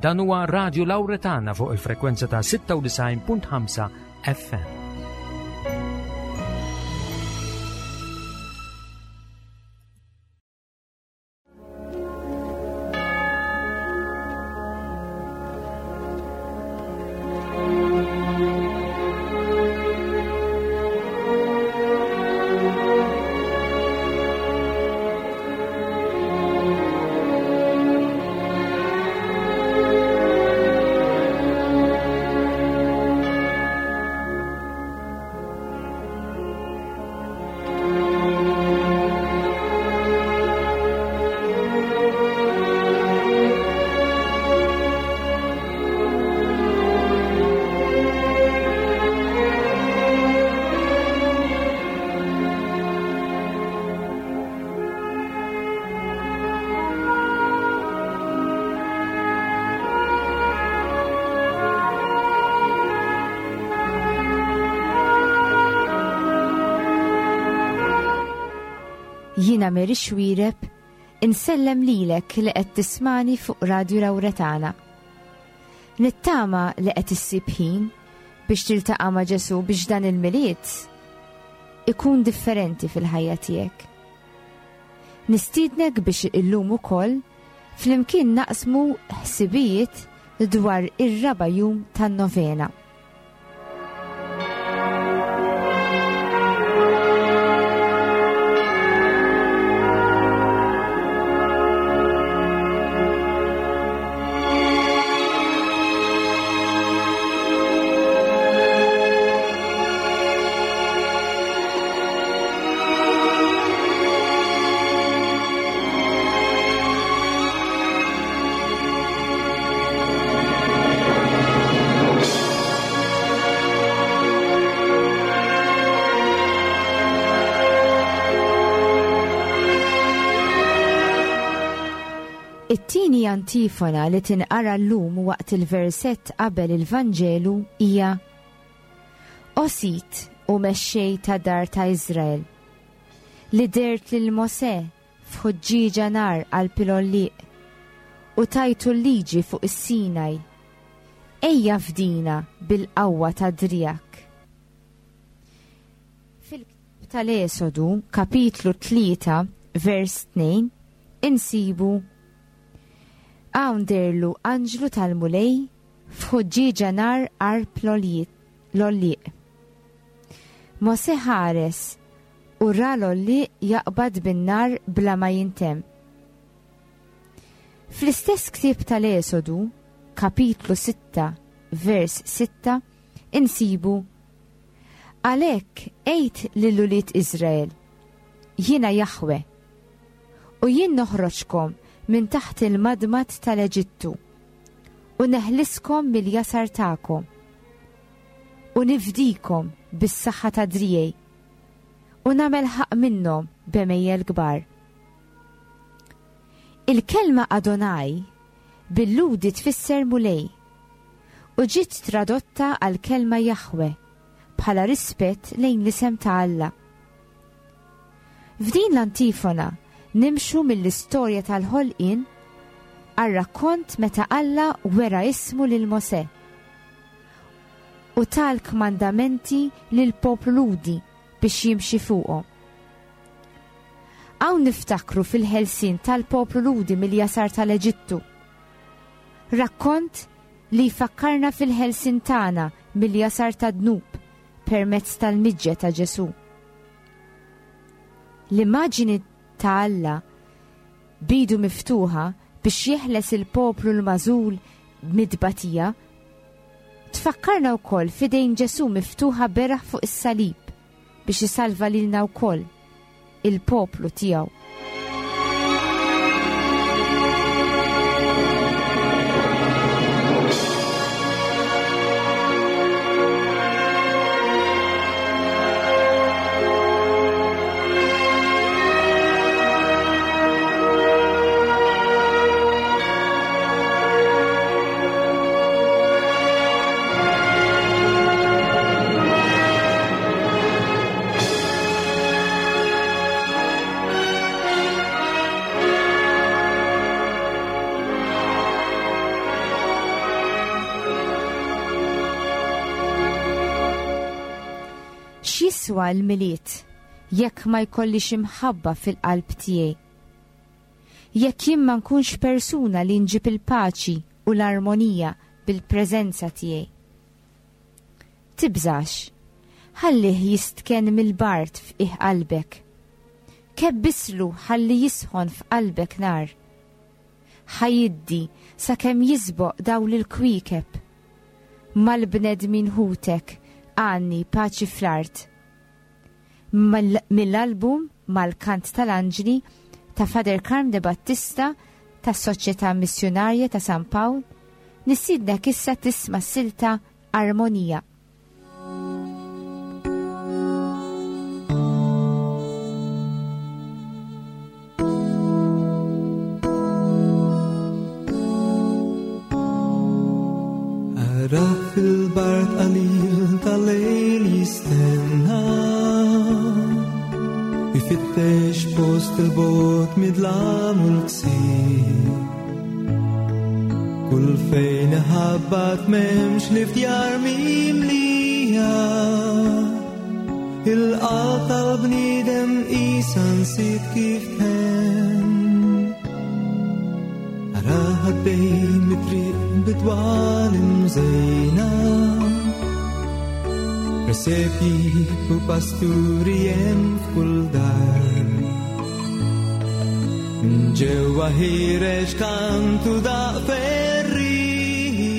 Dan huwa Radio Lauretana fuq il-frekwenza ta' 96.5 FM. Jiena Mary Xuereb, insellem lilek li qed tismani fuq Radju Lawretana. Nittama li qed issib ħin biex tiltaqa' ma' Ġesu biex dan il-Milied ikun differenti fil-ħajja tiegħek. Nistiednek biex illum ukoll flimkien naqsmu ħsibijiet dwar ir-raba' jum tan-novena. It-tieni antifona li tinqara llum waqt il-versett qabel il-Vanġelu hija O Sid u Mexxej ta' dar ta' Iżrael, li dhert lil Mosè f'ħuġġieġa nar qalb il-għollieq, u tajtu l-liġi fuq is-Sinaj, ejja fdina bil-qawwa ta' driegħek. Fil-ktieb tal-Esodu, kapitlu 3, vers 2, insibu, Hawn deherlu anġlu tal-Mulej f'ħuġġieġa nar qarb l-għollieq. Mosè ħares u ra l-għollieq jaqbad bin-nar bla ma jintemm. Fl-istess ktieb tal-Esodu, kapitlu 6, vers 6, insibu, Għalhekk għid lil ulied Iżrael, 'Jiena Jaħwe, u jien noħroġkom minn taħt il-madmad tal-Eġittu, u neħliskom mill-jasar tagħkom, u nifdikom bis-saħħa ta' driegħi, u nagħmel ħaqq minnhom b'għemejjel kbar. Il-kelma Adonai bil-Lhudi tfisser Mulej, u ġiet tradotta għall-kelma Jaħwe bħala rispett lejn l-isem ta' Alla. F'din l-antifona nimxu mill-istorja tal-ħolqien għar-rakkont meta Alla wera ismu lil Mosè u ta l-kmandamenti lill-poplu Lhudi biex jimxi fuqhom. Hawn niftakru fil-ħelsien tal-poplu Lhudi mill-jasar tal-Eġittu. Rakkont li jfakkarna fil-ħelsien tagħna mill-jasar tad-dnub permezz tal-miġja ta' Ġesù. L-immaġini ta' Alla b'idu miftuħa biex jeħles il-poplu l-magħżul mit-tbatija tfakkarna wkoll f'idejn Ġesù miftuħa beraħ fuq is-salib biex isalva lilna wkoll, il-poplu tiegħu. X'jiswa l-Milied jekk ma jkollix imħabba fil-qalb tiegħi? Jekk jien ma nkunx persuna li nġib il-paċi u l-armonija bil-preżenza tiegħi? Tibżax, ħallih jistkenn mill-bard f'qiegħ qalbek. Kebbislu ħalli jisħon f'qalbek nar. Ħa jiddi sakemm jisboq dawl il-kwiekeb. Mal-bnedmin ħutek għanni paċi fl-art. Mill-album Mal-Kant tal-Anġli ta' Father Karm De Battista tas-Soċjetà Missjunarja ta' San Pawl, nistiednek issa tisma' s-silta Armonija. Ara fil-bart qalil tal-lejl jistenna Ifittex post il-bot midlam u l-ksir Kull fejn ħabbat memx li fdjar mimlija Il-qalb tal-bniedem isa nsit kif tħenn Ara ħaddej mit-triq bidwal imżejna Presepji u pasturi hemm f'kull dar Ġewwa ħireġ kantu daq ferriħi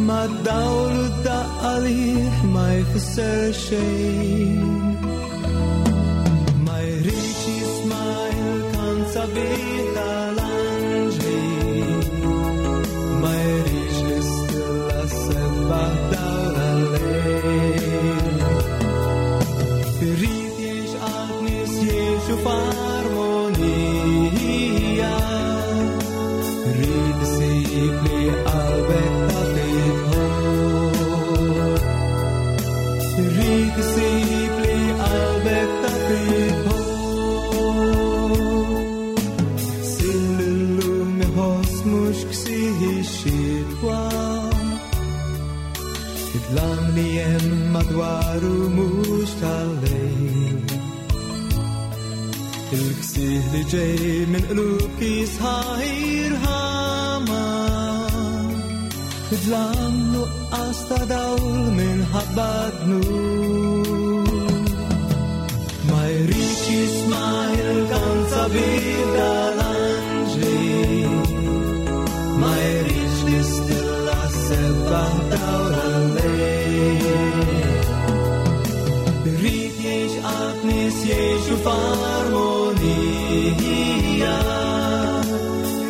Mad-dawl u d-daqq għalih ma jfisser xejn Ma jridx jisma' il-kant sabiħ tal-anġli Ma jridx l-istilla sebbaħ dawl għal-lejl Irid jgħix qalb nies jgħixu f'armonija Rrid isib li qalbek taf idħol Rrid isib li qalbek taf idħol Sil illum iħoss mhux ksieħ ix-xitwa Id-dlam li hemm madwaru mhux tal-lejl Il-ksieħ li ġej minn qlub kisħa irħama Id-dlam nuqqas ta' dawl minħabba dnub Ma jridx jisma' il-kant sabiħ tal-anġli Ma jridx l-istilla sebbaħ dawl għal-lejl Irid jgħix qalb nies jgħixu f'armonija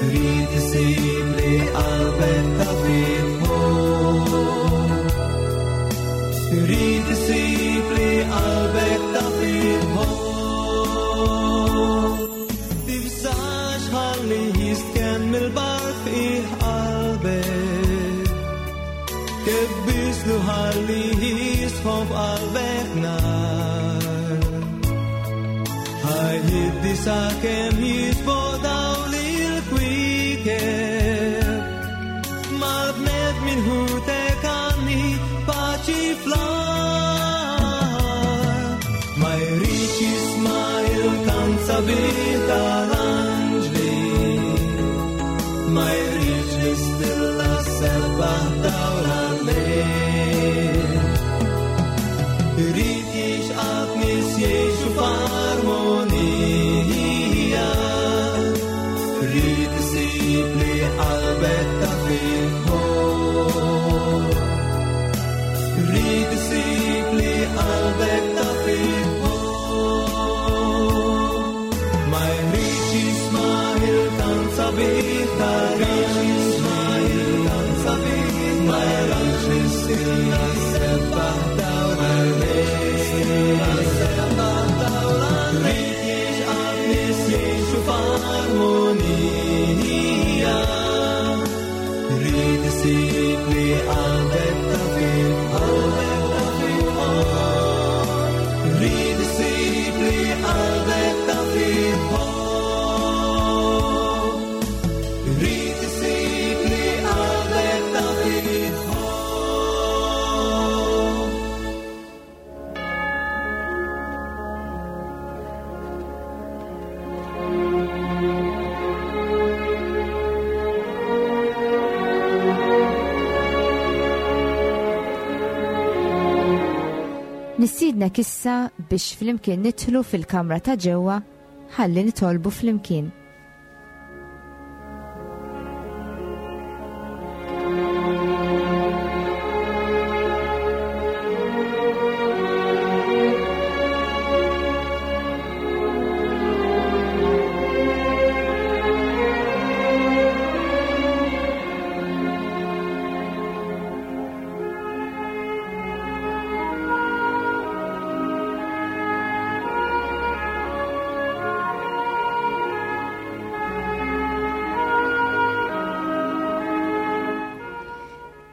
Irid isib li qalbek taf idħol Irid isib li qalbek taf idħol Tibżax ħalli jistkenn mill-bard fih qalbek Kebbislu ħalli jisħon f'qalbek nar Ħajjiddi sakemm jisboq dawl il-kwiekeb Mal-bnedmin ħutek għanni paċi fl-art Ma jridx jisma' il-kant sabiħ tal-anġli Ma jridx l-istilla sebbaħ dawl għal-lejl Irid jgħix qalb nies jgħixu f'armonija Irid isib li qalbek taf idħol Irid isib li qalbek taf idħol Ma jridx jisma' il-kant sabiħ tal-anġli Ma jridx l-istilla sebbaħ dawl għal-lejl Irid jgħix qalb nies jgħixu f'armonija Irid isib li qalbek taf idħol Irid isib li qalbek taf idħol Irid isib li qalbek taf idħol. Nistiednek issa biex flimkien nidħlu fil-kamra ta' ġewwa ħalli nitolbu flimkien.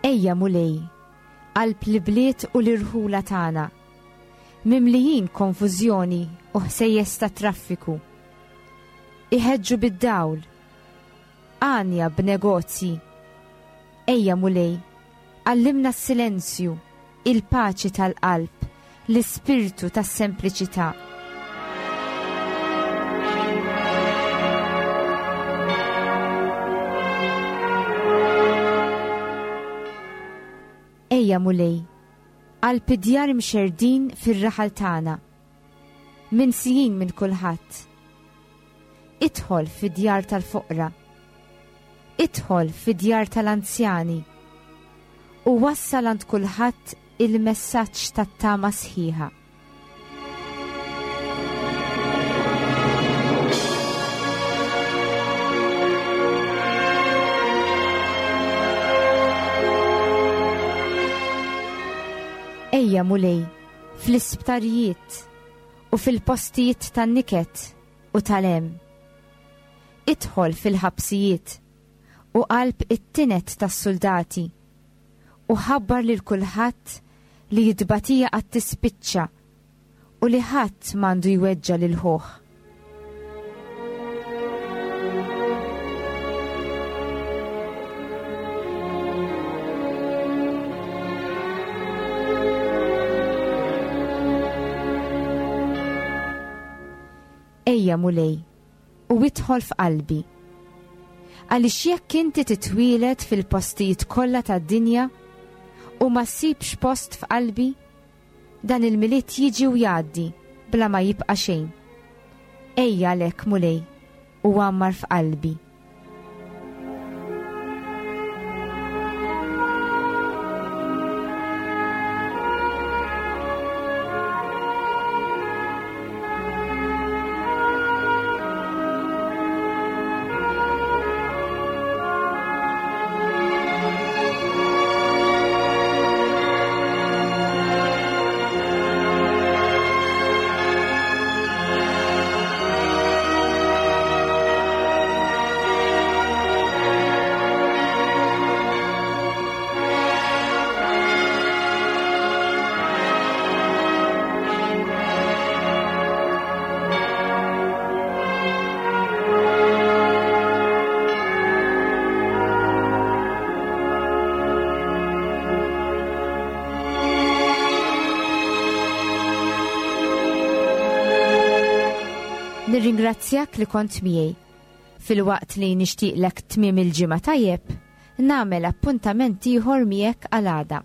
Ejja Mulej, qalb l-ibliet u l-irħula tagħna, mimlijin konfużjoni u ħsejjes ta' traffiku. Iħeġġu bid-dawl, għanja b'negozji. Ejja Mulej, għallimna s-silenzju, il-paċi tal-qalb, l-ispirtu tas-sempliċità. Ejja Mulej, qalb id-djar imxerrdin fir-raħal tagħna, minsijin minn kulħadd. Idħol fid-djar tal-foqra. Idħol fid-djar tal-anzjani u wassal għand kulħadd il-messaġġ tat-tama sħiħa. Ejja Mulej, fl-isptarijiet u fil-postijiet tan-niket u tal-hemm. Idħol fil-ħabsijiet u qalb it-tined tas-suldati u ħabbar lil kulħadd li t-tbatija għad tispiċċa u li ħadd m'għandu jweġġa' lil ħuh. Ejja Mulej, u idħol f'qalbi. Għaliex jekk inti titwieled fil-postijiet kollha tad-dinja u ma ssibx post f'qalbi, dan il-Milied jiġi u jgħaddi bla ma jibqa' xejn. Ejja għalhekk Mulej u għammar f'qalbi. Nirringrazzjak li kont miegħi. Filwaqt li nixtieqlek tmiem il-ġimgħa tajjeb, nagħmel appuntament ieħor miegħek għal għada.